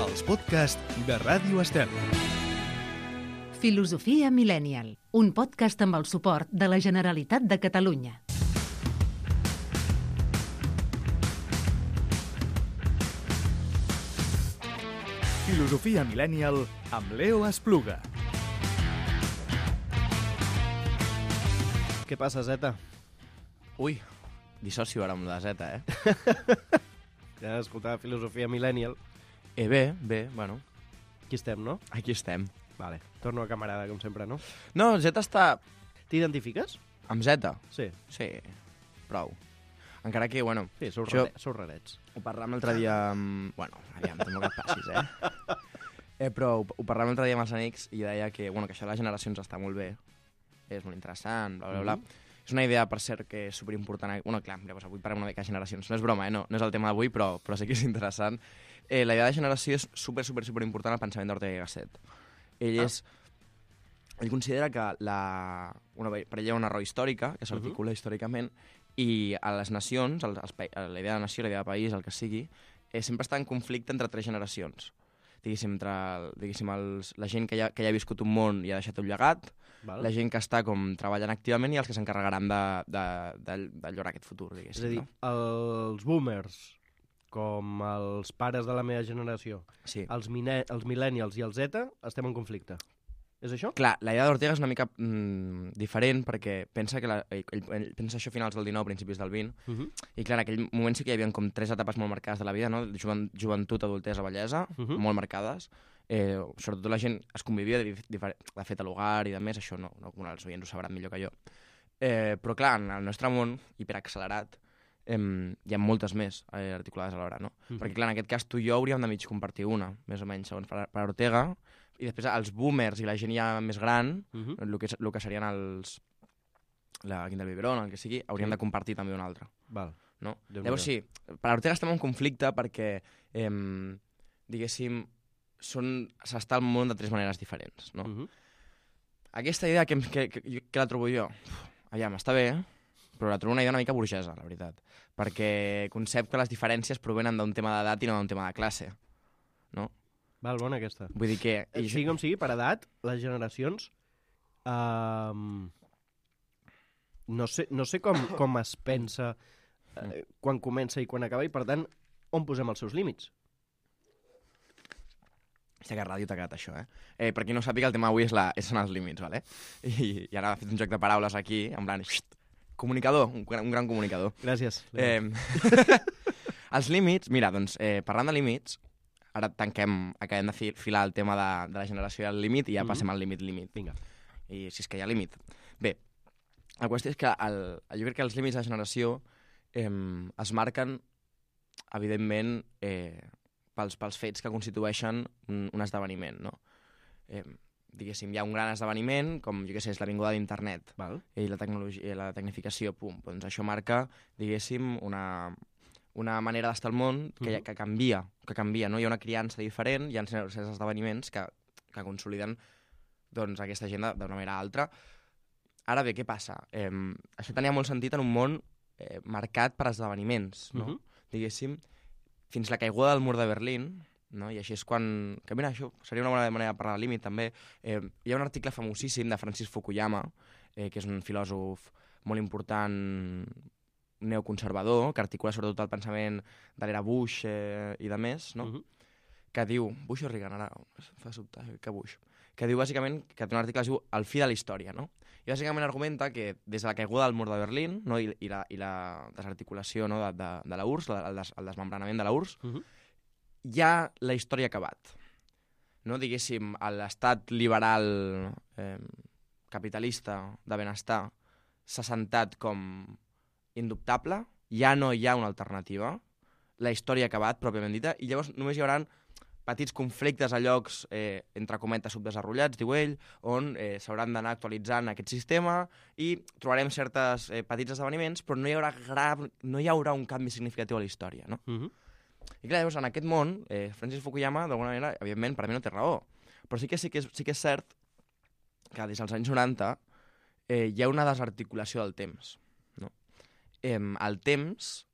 els podcasts de Ràdio Estel. Filosofia Millennial, un podcast amb el suport de la Generalitat de Catalunya. Filosofia Millennial amb Leo Espluga. Què passa, Zeta? Ui, dissocio ara amb la Z, Ja escoltava Filosofia Millennial. Bé, bueno, Aquí estem, no? aquí estem. Vale. Torno a camarada, com sempre, no? No, Z està T'identifiques? amb Z. Sí. Sí, prou. Encara que, bueno, Sí, sou, Jo- sou rarets. ho parlàvem l'altre dia amb... Bueno, aviam, tampoc et passis, però ho parlàvem l'altre dia amb els amics i deia que, bueno, que això de les generacions està molt bé, és molt interessant, bla, bla, bla. És una idea, per cert, que és superimportant. Bueno, clar, llavors avui parlem una mica de generacions. No és broma, no és el tema d'avui, però sí que és interessant. La idea de generació és superimportant al pensament d'Ortega i Gasset. Ell considera que per ell hi ha una raó històrica, que s'articula històricament, i a les nacions, la idea de nació, la idea de país, el que sigui, sempre està en conflicte entre tres generacions. Diguéssim, la gent que ja ha viscut un món i ha deixat un llegat, Val? la gent que està com treballant activament i els que s'encarregaran de llorar aquest futur, És diguéssim. a dir, els boomers, com els pares de la meva generació, Sí. els millennials i el Z, estem en conflicte. És això? Clar, la idea d'Ortega és una mica diferent perquè pensa que ell pensa això a finals del 19, principis del 20, i clar, en aquell moment sí que hi havia com tres etapes molt marcades de la vida, no? Joventut, adultesa, vellesa, molt marcades. Sobretot la gent es convivia de fet a l'hogar i de més, això no els oients ho sabran millor que jo. Però clar, en el nostre món hiperaccelerat hi ha moltes més articulades alhora, no? Perquè clar, en aquest cas tu i jo hauríem de mig compartir una, més o menys, segons per Ortega, i després els boomers i la gent ja més gran, el que serien la Quinta del Biberón, el que sigui, hauríem de compartir també una altra. Val. No? Déu-n'hi-do. Llavors sí, per Ortega estem en conflicte perquè, diguéssim, s'està al món de tres maneres diferents. No? Aquesta idea que la trobo jo, aviam, està bé, però la trobo una idea una mica burgesa, la veritat, perquè concep que les diferències provenen d'un tema d'edat i no d'un tema de classe. No? Val, bona aquesta. Vull dir que... Sigui com sigui, per edat, les generacions... No sé com es pensa quan comença i quan acaba, i per tant, on posem els seus límits? Hòstia, que ràdio t'ha quedat això, Per qui no sàpiga, el tema avui són els límits, ¿vale? I ara ha fet un joc de paraules aquí, en plan... Comunicador, un gran comunicador. Gràcies. Els límits, mira, doncs, parlant de límits, ara acabem de filar el tema de la generació i el límit i ja passem al límit. Vinga. I si és que hi ha límit. Bé, la qüestió és que jo crec que els límits de la generació es marquen, evidentment, pels fets que constitueixen un esdeveniment, no? Diguéssim, hi ha un gran esdeveniment, com, jo què sé, és la vinguda d'internet. Val. I la tecnologia, la tecnificació, doncs això marca, diguéssim, una manera d'estar al món que canvia, no? Hi ha una criança diferent, hi ha certs esdeveniments que consoliden doncs, aquesta gent d'una manera altra. Ara bé, què passa? Això tenia molt sentit en un món marcat per esdeveniments, no? Diguéssim, fins la caiguda del mur de Berlín, no? I així és quan... Que mira, això seria una bona manera de parlar de límit, també. Hi ha un article famosíssim de Francis Fukuyama, que és un filòsof molt important neoconservador, que articula sobretot el pensament de l'era Bush i de més, no? Que diu... Bush o Reagan, ara fa sobtar que Bush. Que diu, bàsicament, que té un article que es diu El fi de la història, no? I bàsicament argumenta que des de la caiguda del mur de Berlín, no? I la desarticulació, no? de la URSS, el desmembranament de la URSS, ja la història ha acabat. No? Diguéssim, l'estat liberal capitalista de benestar s'ha sentat com indubtable, ja no hi ha una alternativa, la història ha acabat, pròpiament dita, i llavors només hi haurà petits conflictes a llocs, entre cometes, subdesenvolupats, diu ell, on s'hauran d'anar actualitzant aquest sistema i trobarem certs petits esdeveniments, però no hi haurà un canvi significatiu a la història, no? I clar, llavors, en aquest món, Francis Fukuyama, d'alguna manera, evidentment, per mi no té raó, però sí que és cert que des dels anys 90 hi ha una desarticulació del temps. No? El temps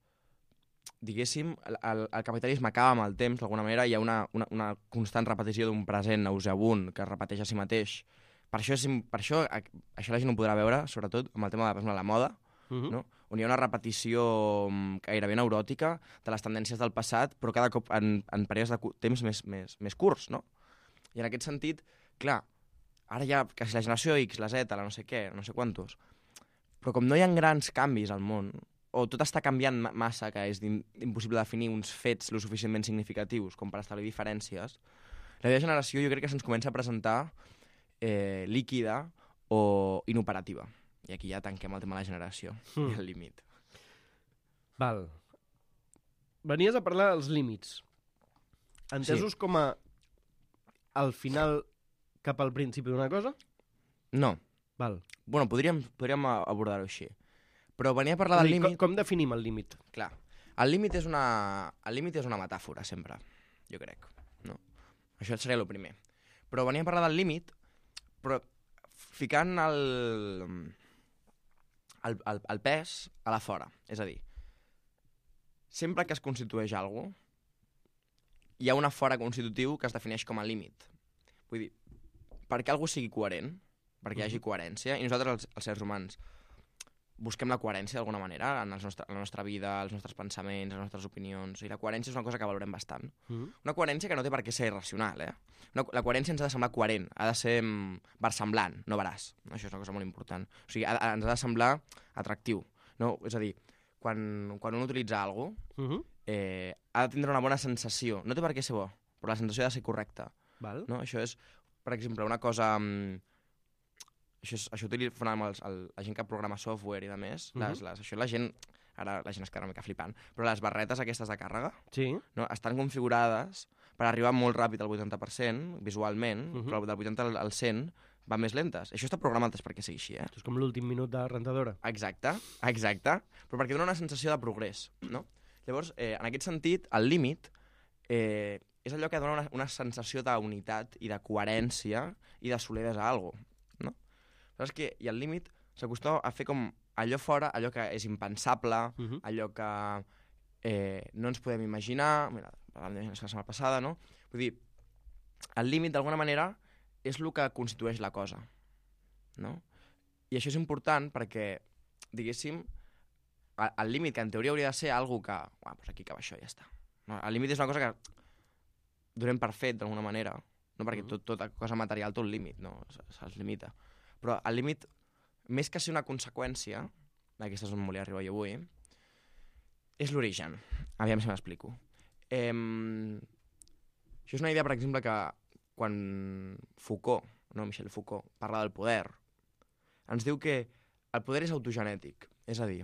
diguéssim, el capitalisme acaba amb el temps, d'alguna manera, hi ha una constant repetició d'un present nauseabund que es repeteix a si mateix. Per això això la gent ho podrà veure, sobretot amb el tema de, per exemple, la moda, no? On hi ha una repetició gairebé neuròtica de les tendències del passat, però cada cop en períodes de temps més curts, no? I en aquest sentit, clar, ara ja quasi la generació X, la Z, la no sé què, no sé quantos, però com no hi ha grans canvis al món, o tot està canviant massa, que és impossible definir uns fets lo suficientment significatius com per establir diferències, la meva generació jo crec que se'ns comença a presentar líquida o inoperativa. I aquí ja tanquem el tema de la generació i el límit. Val. Venies a parlar dels límits. Entesos com a al final cap al principi d'una cosa? No. Val. Bueno, podríem abordar-ho així. Però venia a parlar del límit... Com definim el límit? Clar. El límit és una metàfora, sempre, jo crec. No? Això seria el primer. Però venia a parlar del límit, però ficant el pes a la fora. És a dir, sempre que es constitueix alguna cosa, hi ha una fora constitutiu que es defineix com a límit. Vull dir, perquè algú sigui coherent, perquè hi hagi coherència, i nosaltres, els éssers humans, busquem la coherència d'alguna manera en la nostra vida, els nostres pensaments, les nostres opinions, i la coherència és una cosa que valorem bastant. Una coherència que no té per què ser irracional, La coherència ens ha de semblar coherent, ha de ser versemblant, no veraç. Això és una cosa molt important. O sigui, ens ha de semblar atractiu. No? És a dir, quan un utilitza alguna cosa, ha de tindre una bona sensació. No té per què ser bo, però la sensació ha de ser correcta. Val. No? Això és, per exemple, una cosa... Això utilitzen la gent que programa software i de més. Això la gent... Ara la gent es quedarà una mica flipant. Però les barretes aquestes de càrrega no, estan configurades per arribar molt ràpid al 80%, visualment, però del 80 al 100 va més lentes. Això està programat perquè sigui així, És com l'últim minut de la rentadora. Exacte. Però perquè dona una sensació de progrés, no? Llavors, en aquest sentit, el límit és allò que dona una sensació d'unitat i de coherència i de solidesa a alguna cosa, no? Saps que i el límit s'acostuma a fer com allò fora, allò que és impensable, allò que no ens podem imaginar, mira, la setmana passada, no? Vull dir, el límit, d'alguna manera, és el que constitueix la cosa, no? I això és important perquè, diguéssim, el límit, que en teoria hauria de ser algo que, doncs aquí acaba això i ja està. No? El límit és una cosa que donem per fet, d'alguna manera, no? Perquè tota cosa material té un límit, no? Se'ls limita. Però el límit, més que ser una conseqüència, d'aquesta és on volia arribar jo avui, és l'origen. Aviam si m'explico. Això és una idea, per exemple, que quan Foucault, Michel Foucault, parla del poder, ens diu que el poder és autogenètic. És a dir,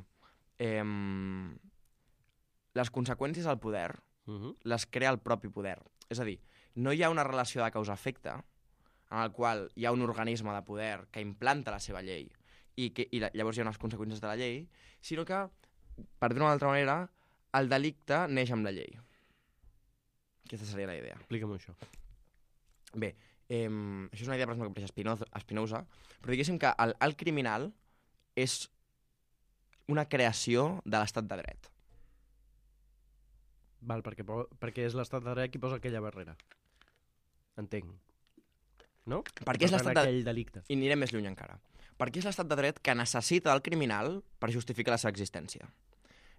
les conseqüències del poder les crea el propi poder. És a dir, no hi ha una relació de causa-efecte en el qual hi ha un organisme de poder que implanta la seva llei i llavors hi ha unes conseqüències de la llei, sinó que, per dir-ho d'una altra manera, el delicte neix amb la llei. Aquesta seria la idea. Explica'm això. Bé, això és una idea, per exemple, que apareix a Spinoza, però diguéssim que el criminal és una creació de l'estat de dret. Val, perquè és l'estat de dret qui posa aquella barrera. Entenc. No? Perquè és l'estat de... aquell delicte. I anirem més lluny encara. Perquè és l'estat de dret que necessita el criminal per justificar la seva existència.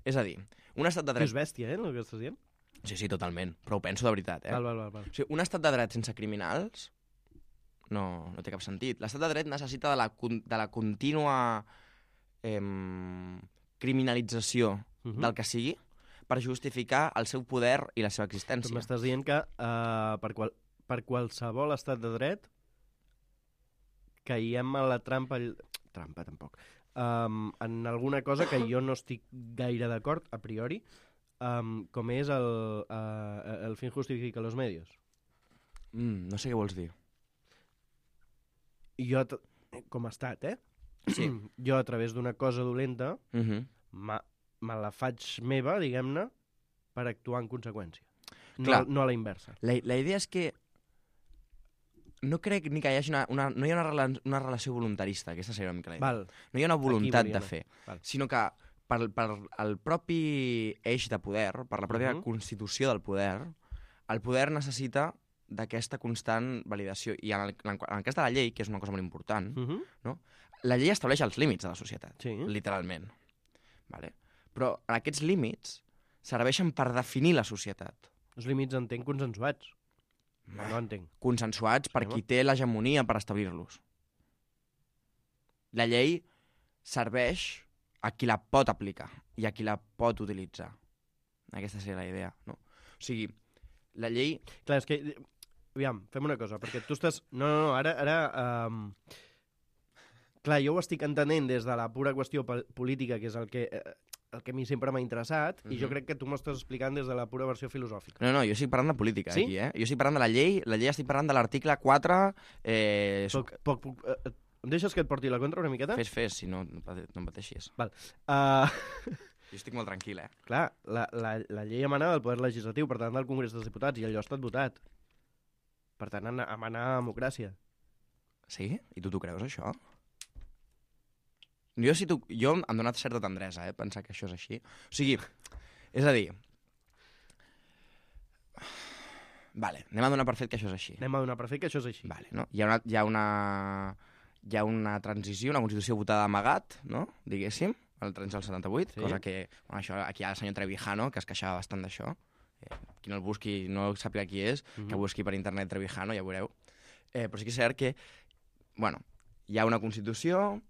És a dir, un estat de dret... Tu és bèstia, el que estàs dient? Sí, totalment. Però ho penso de veritat, Val. O sigui, un estat de dret sense criminals no té cap sentit. L'estat de dret necessita de la contínua criminalització del que sigui per justificar el seu poder i la seva existència. Tu m'estàs dient que per qualsevol estat de dret caiem a la trampa... Trampa, tampoc. En alguna cosa que jo no estic gaire d'acord, a priori, com és el fin justifica los medios. No sé què vols dir. Jo, com a estat, Sí. Jo, a través d'una cosa dolenta, me la faig meva, diguem-ne, per actuar en conseqüència. No a la inversa. La idea és que no crec ni que hi hagi no hi ha una relació voluntarista, aquesta seria una mica la idea. Val. No hi ha una voluntat de fer, Val. sinó que per el propi eix de poder, per la pròpia constitució del poder, el poder necessita d'aquesta constant validació. I en el cas de la llei, que és una cosa molt important, no? La llei estableix els límits de la societat, literalment. Vale? Però aquests límits serveixen per definir la societat. Els límits entenc consensuats. No entenc. Consensuats per qui té l'hegemonia per establir-los. La llei serveix a qui la pot aplicar i a qui la pot utilitzar. Aquesta seria la idea, no? O sigui, la llei... Clar, és que... Aviam, fem una cosa, perquè tu estàs... No, ara... Clar, jo ho estic entenent des de la pura qüestió política, que és el que a mi sempre m'ha interessat, i jo crec que tu m'estàs explicant des de la pura versió filosòfica. No, jo estic parlant de política, aquí, eh? Jo estic parlant de la llei estic parlant de l'article 4... Em deixes que et porti la contra una miqueta? Fes, si no em pateixis. Val. Jo estic molt tranquil, eh? Clar, la llei emana del poder legislatiu, per tant del Congrés dels Diputats, i allò ha estat votat. Per tant, emana democràcia. Sí? I tu t'ho creus, això? Jo em donat certa tendresa, pensar que això és així. O sigui, és a dir... Vale, anem a donar per fet que això és així. Anem a donar per fet que això és així. Vale, no? Hi ha una transició, una constitució votada d'amagat, no? Diguéssim, el 78, cosa que... Bueno, això, aquí hi ha el senyor Trevijano, que es queixava bastant d'això. Qui no el busqui, no sàpiga qui és, que busqui per internet Trevijano, ja veureu. Però sí que és cert que, bueno, hi ha una constitució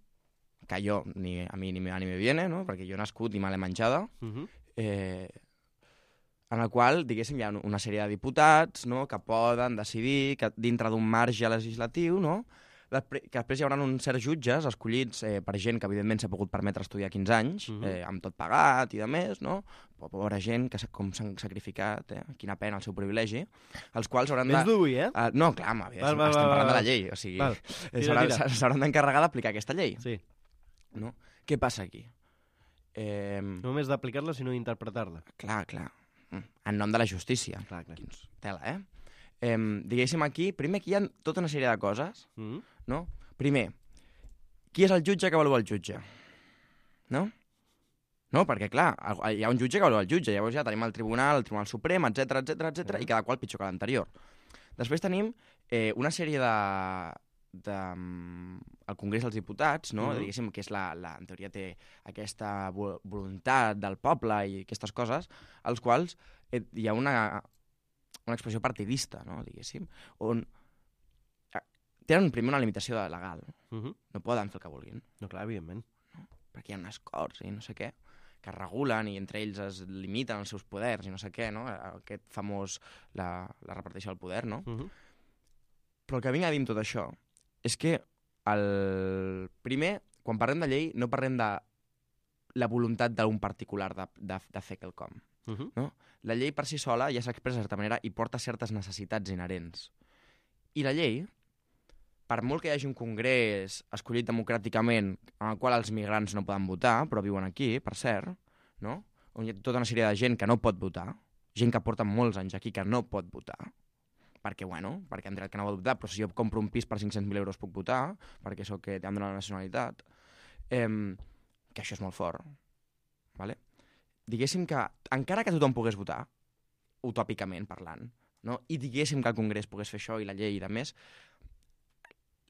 que a mi ni me viene, no? Perquè jo he nascut i me l'he menjada, en el qual, diguéssim, hi ha una sèrie de diputats, no?, que poden decidir que dintre d'un marge legislatiu, no?, que després hi haurà uns certs jutges escollits per gent que, evidentment, s'ha pogut permetre estudiar 15 anys, amb tot pagat i de més, no? Pobra gent que com s'han sacrificat, quina pena el seu privilegi, els quals hauran de... Vens d'avui, eh? No, clar, estem parlant de la llei, o sigui, s'hauran d'encarregar d'aplicar aquesta llei. Sí. No? Què passa aquí? No només d'aplicar-la, sinó d'interpretar-la. Clar. En nom de la justícia. Clar. Tela, diguéssim aquí, primer que hi ha tota una sèrie de coses, no? Primer, qui és el jutge que avalua el jutge? No? No, perquè, clar, hi ha un jutge que avalua el jutge, llavors ja tenim el Tribunal Suprem, etc, i cada qual pitjor que l'anterior. Després tenim una sèrie el Congrés dels Diputats, no? Diguéssim que és en teoria té aquesta voluntat del poble i aquestes coses, als quals hi ha una expressió partidista, no? Diguéssim, on tenen primer una limitació legal. No poden fer el que vulguin. No, clar, evidentment. No? Perquè hi ha unes corts i no sé què, que es regulen i entre ells es limiten els seus poders i no sé què, no? Aquest famós, la repartició del poder, no? Però el que vinc a dir amb tot això és que primer, quan parlem de llei, no parlem de la voluntat d'un particular de fer quelcom. No? La llei per si sola ja s'expressa de certa manera i porta certes necessitats inherents. I la llei, per molt que hi hagi un congrés escollit democràticament en el qual els migrants no poden votar, però viuen aquí, per cert, no? On hi ha tota una sèrie de gent que no pot votar, gent que porta molts anys aquí que no pot votar, perquè han dret que no pot votar, però si jo compro un pis per 500.000 euros puc votar, perquè sóc que t'han donat la nacionalitat, que això és molt fort, ¿vale? Diguéssim que, encara que tothom pogués votar, utòpicament parlant, no? I diguéssim que el Congrés pogués fer això i la llei i de més,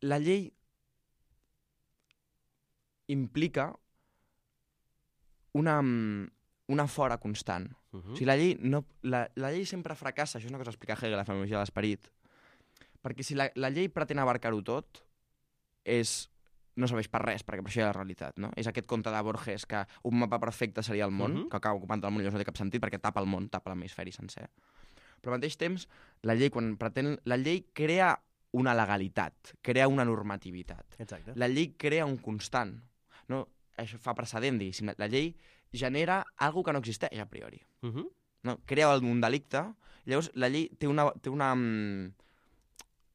la llei implica una fora constant. O sigui, la llei sempre fracassa, això és una cosa que explica Hegel, la fenomenologia de l'esperit, perquè si la llei pretén abarcar-ho tot, no serveix per res, perquè per això hi ha la realitat, no? És aquest conte de Borges que un mapa perfecte seria el món, que acaba ocupant el món i llavors no té cap sentit perquè tapa el món, tapa l'hemisferi sencer. Però al mateix temps, la llei crea una legalitat, crea una normativitat. Exacte. La llei crea un constant. No? Això fa precedent, diguéssim. La llei genera algo que no existeix a priori. No? Crea un delicte, llavors la llei té una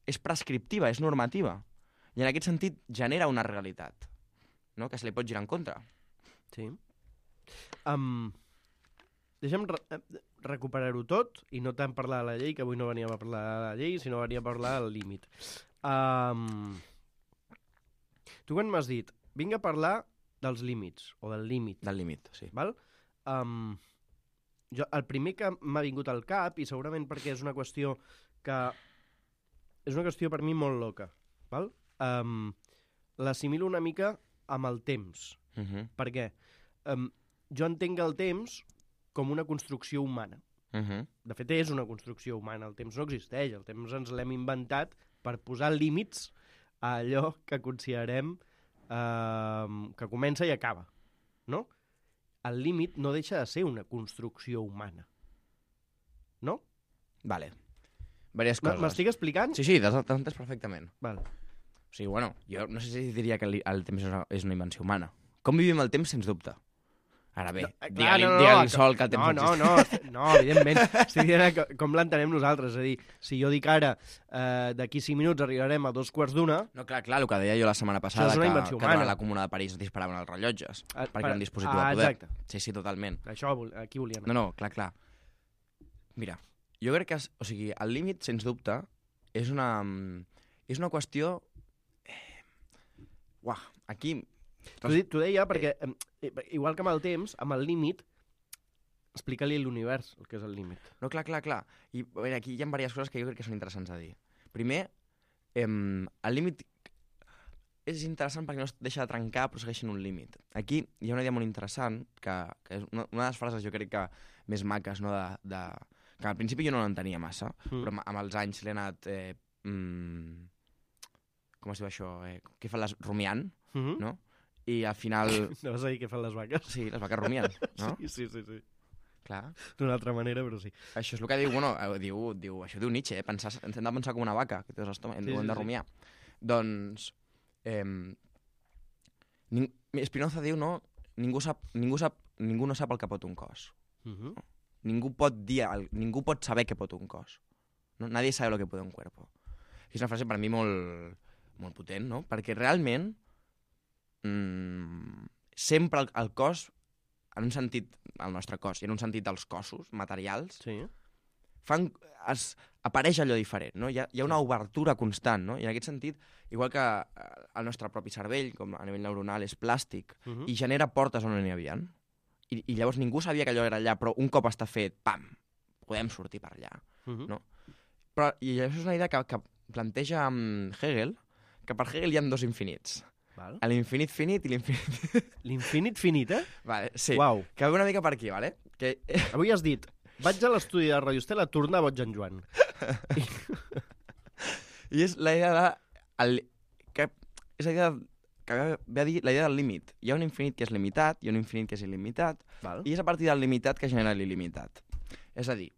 és prescriptiva, és normativa. I en aquest sentit genera una realitat, no? Que se li pot girar en contra. Sí. Deixa'm recuperar-ho tot i no tant parlar de la llei, que avui no veníem a parlar de la llei, sinó veníem a parlar del límit. Tu quan m'has dit, vinc a parlar dels límits, o del límit. Del límit, sí. Val? El primer que m'ha vingut al cap, i segurament perquè és una qüestió per mi molt loca, val? L'assimilo una mica amb el temps. Per què? Jo entenc el temps com una construcció humana. De fet, és una construcció humana. El temps no existeix. El temps ens l'hem inventat per posar límits a allò que considerem que comença i acaba. No? El límit no deixa de ser una construcció humana. No? Vale. Vàries coses. M'estic explicant? Sí, t'has entès perfectament. Val. O sigui, bueno, jo no sé si diria que el temps és una invenció humana. Com vivim el temps, sens dubte. Ara bé, digue-li sol que el temps existeix. No, evidentment. Estic dient com l'entenem nosaltres. És a dir, si jo dic ara, d'aquí 5 minuts arribarem a 2:15... No, clar, el que deia jo la setmana passada, que durant la Comuna de París es disparaven els rellotges, perquè era un dispositiu de poder. Exacte. Sí, totalment. Això, aquí volíem. No, clar. Mira, jo crec que el límit, sens dubte, és una qüestió... Aquí... T'ho deia perquè, igual que amb el temps, amb el límit, explica-li a l'univers el que és el límit. No, clar. I a veure, aquí hi ha diverses coses que jo crec que són interessants a dir. Primer, el límit és interessant perquè no es deixa de trencar, però segueix sent un límit. Aquí hi ha una idea molt interessant, que és una de les frases jo crec que més maques, no, que al principi jo no l'entenia massa, però amb els anys l'he anat... com es diu això? Què fan les... rumiant, no? I al final... No vas a dir què fan les vaques? Sí, les vaques rumien, no? Sí. Clar. D'una altra manera, però sí. Això és el que diu, això diu Nietzsche, hem de pensar com una vaca, que té dos estómacs, hem de rumiar. Doncs, Spinoza diu, no? Ningú no sap el que pot un cos. Ningú pot saber què pot un cos. No? Nadie sabe lo que puede un cuerpo. I és una frase per mi molt, molt potent, no? Perquè realment sempre el cos, en un sentit, el nostre cos, i en un sentit dels cossos materials, apareix allò diferent, no? Hi ha una obertura constant, no? I en aquest sentit, igual que el nostre propi cervell, com a nivell neuronal, és plàstic, i genera portes on no n'hi havia. I llavors ningú sabia que allò era allà, però un cop està fet, pam, podem sortir per allà, no? Però, i això és una idea que planteja Hegel, que per Hegel hi ha dos infinits. L'infinit finit i l'infinit... L'infinit finit, Vale, sí. Uau. Que ve una mica per aquí, vale? Que... Avui has dit, vaig a l'estudi de Radio Estel a tornar boig en Joan. I és la idea de... És la idea que ve a dir la idea del límit. Hi ha un infinit que és limitat, hi ha un infinit que és il·limitat, i és a partir del limitat que genera l'il·limitat. És a dir,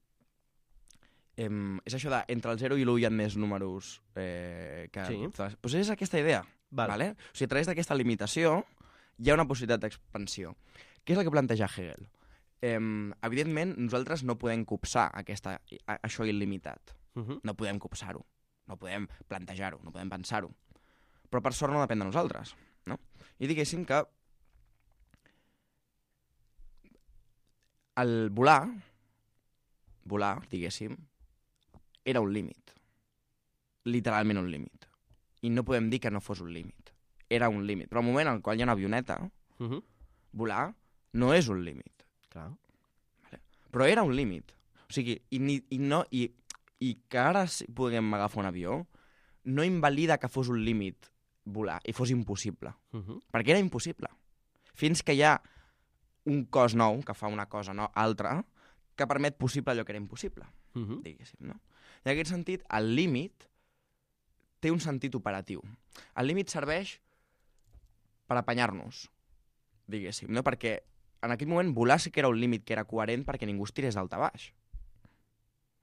és això de entre el 0 i l'1 hi ha més números que... Sí. Doncs és aquesta idea. Vale? O sigui, a través d'aquesta limitació hi ha una possibilitat d'expansió. Què és el que planteja Hegel? Evidentment, nosaltres no podem copsar això il·limitat. No podem copsar-ho, no podem plantejar-ho, no podem pensar-ho. Però per sort no depèn de nosaltres, no? I diguéssim que el volar, diguéssim, era un límit. Literalment un límit. I no podem dir que no fos un límit. Era un límit. Però al moment en el qual hi ha una avioneta, volar no és un límit. Clar. Vale. Però era un límit. O sigui, i que ara puguem agafar un avió no invalida que fos un límit volar i fos impossible. Perquè era impossible. Fins que hi ha un cos nou que fa una cosa altra que permet possible allò que era impossible. Diguéssim, no? I en aquest sentit, el límit té un sentit operatiu. El límit serveix per apanyar-nos, diguéssim, no? Perquè en aquell moment volar sí que era un límit que era coherent perquè ningú es tirés d'alt a baix.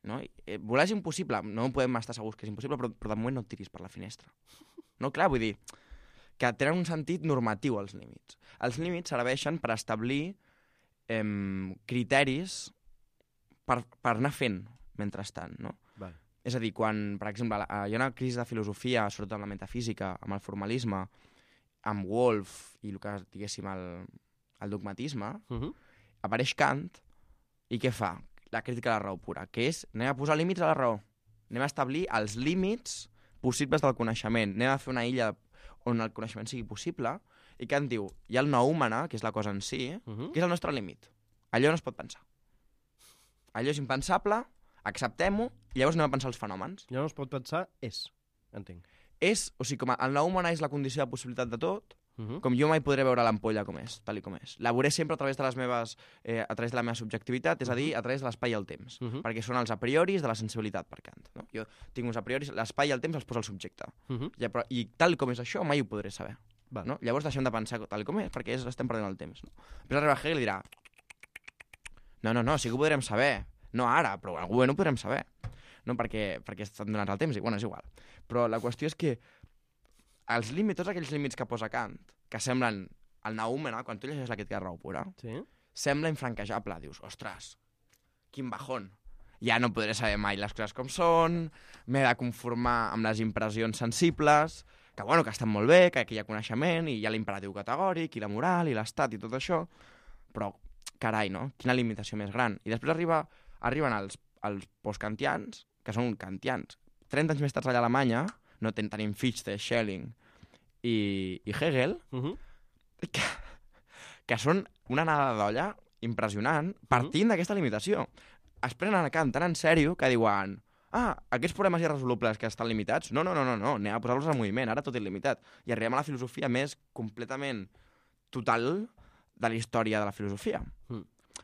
No? Volar és impossible, no podem estar segurs que és impossible, però de moment no et tiris per la finestra. No, clar, vull dir que tenen un sentit normatiu els límits. Els límits serveixen per establir criteris per anar fent mentrestant, no? Vale. És a dir, quan, per exemple, hi ha una crisi de filosofia, sobretot en la metafísica, amb el formalisme, amb Wolf i el que diguéssim el dogmatisme, apareix Kant i què fa? La crítica a la raó pura, que és anem a posar límits a la raó, anem a establir els límits possibles del coneixement, anem a fer una illa on el coneixement sigui possible i Kant diu, hi ha el noúmena, que és la cosa en si, que és el nostre límit. Allò no es pot pensar. Allò és impensable, acceptem-ho, i llavors anem a pensar els fenòmens. Allò no es pot pensar, entenc. O sigui, com el noúmena és la condició de possibilitat de tot, com jo mai podré veure l'ampolla com és, tal i com és. La veuré sempre a través de les meves, a través de la meva subjectivitat, és a dir, a través de l'espai i el temps, perquè són els a prioris de la sensibilitat per Kant. No? Jo tinc uns a prioris, l'espai i el temps els posa el subjecte. I tal com és això, mai ho podré saber. No? Llavors deixem de pensar tal com és, perquè estem perdent el temps. No? Després arriba Hegel i dirà no, sí que ho podrem saber. No ara, però en algun moment ho podrem saber. No? Perquè estan donats el temps, i bueno, és igual. Però la qüestió és que els límits, tots aquells límits que posa Kant, que semblen el noúmena, quan tu llegeixes la crítica de raó pura, sembla infranquejable. Dius, ostres, quin bajón. Ja no podré saber mai les coses com són, m'he de conformar amb les impressions sensibles, que bueno, que estan molt bé, que hi ha coneixement, i hi ha l'imperatiu categòric, i la moral, i l'estat, i tot això, però, carai, no? Quina limitació més gran. I després arriben els postkantians, que són kantians. 30 anys més tard allà a Alemanya, no tenim Fichte, Schelling i Hegel, que són una anada d'olla impressionant, partint d'aquesta limitació. Es prenen a Kant tan en sèrio que diuen aquests problemes irresolubles que estan limitats, no, anem a posar-los en moviment, ara tot és limitat. I arribem a la filosofia més completament total de la història de la filosofia.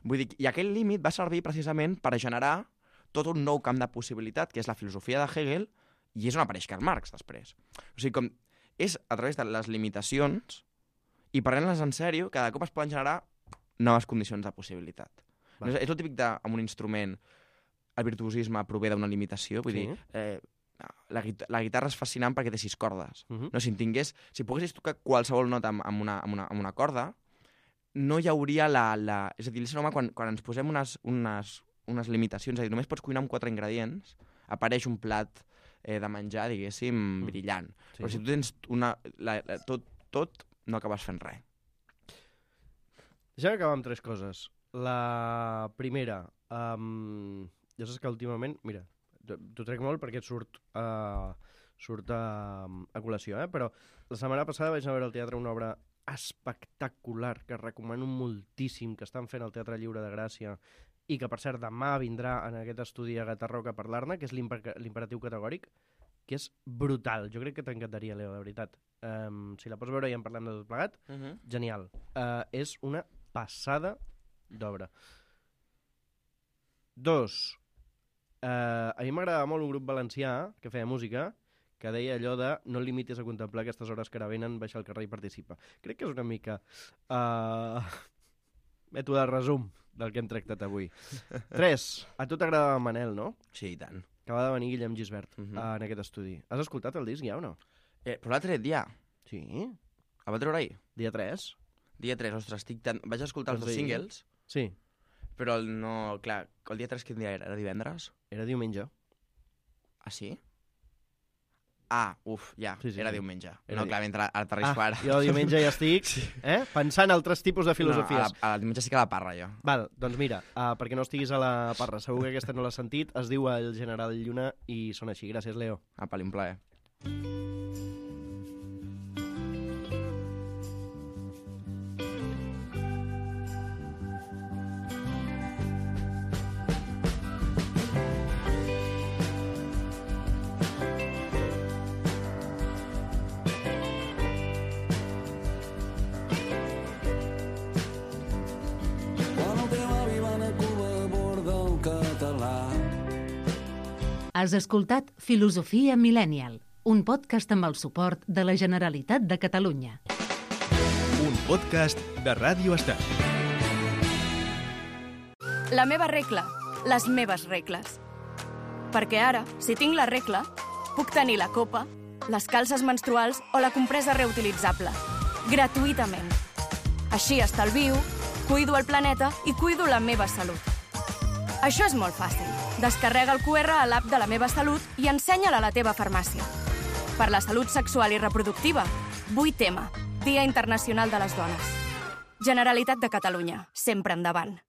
Vull dir, i aquell límit va servir precisament per generar tot un nou camp de possibilitat, que és la filosofia de Hegel, i és on apareix Karl Marx després. O sigui, com és a través de les limitacions i prenent-les en sèrio, cada cop es poden generar noves condicions de possibilitat. No, és el típic amb un instrument, el virtuosisme prové d'una limitació, vull dir, la guitarra és fascinant perquè té 6 cordes. No, si poguessis tocar qualsevol nota amb una corda, no hi hauria És a dir, l'ésser humà, quan ens posem unes limitacions, és a dir, només pots cuinar amb 4 ingredients, apareix un plat de menjar, diguéssim, brillant. Però si tu tens tot, no acabes fent res. Deixem acabar amb 3 coses. La primera, ja saps que últimament, mira, t'ho trec molt perquè et surt a col·lació, però la setmana passada vaig anar a veure al teatre una obra espectacular que recomano moltíssim, que estan fent al Teatre Lliure de Gràcia i que, per cert, demà vindrà en aquest estudi a Gatarroca a parlar-ne, que és l'imperatiu categòric, que és brutal. Jo crec que t'encantaria, Leo, de veritat. Si la pots veure i en parlem de tot plegat, genial. És una passada d'obra. 2. A mi m'agradava molt un grup valencià que feia música que deia allò de no et limitis a contemplar aquestes hores que ara venen, baixa al carrer i participa. Crec que és una mica mètode de resum del que hem tractat avui. 3. A tu t'agradava Manel, no? Sí, i tant. Acaba de venir Guillem Gisbert en aquest estudi. Has escoltat el disc ja o no? Però l'ha tret ja. Sí. El va treure ahir? Dia 3. Dia 3, ostres, vaig escoltar els 2 singles. Sí. Però no, clar, el dia 3 quin dia era? Era divendres? Era diumenge. Ah, sí? Ja, sí, era diumenge. No, clar, mentre aterrisco ara. Jo el diumenge ja estic pensant altres tipus de filosofies. No, el diumenge sí que a la parra, jo. Val, doncs mira, perquè no estiguis a la parra, segur que aquesta no l'has sentit, es diu El General Lluna i sona així. Gràcies, Leo. Apa, un plaer. Has escoltat Filosofia Millennial, un podcast amb el suport de la Generalitat de Catalunya. Un podcast de Ràdio Estel. La meva regla, les meves regles. Perquè ara, si tinc la regla, puc tenir la copa, les calces menstruals o la compresa reutilitzable. Gratuïtament. Així estalvio, cuido el planeta i cuido la meva salut. Això és molt fàcil. Descarrega el QR a l'app de La Meva Salut i ensenya-la a la teva farmàcia. Per la salut sexual i reproductiva, 8M, Dia Internacional de les Dones. Generalitat de Catalunya, sempre endavant.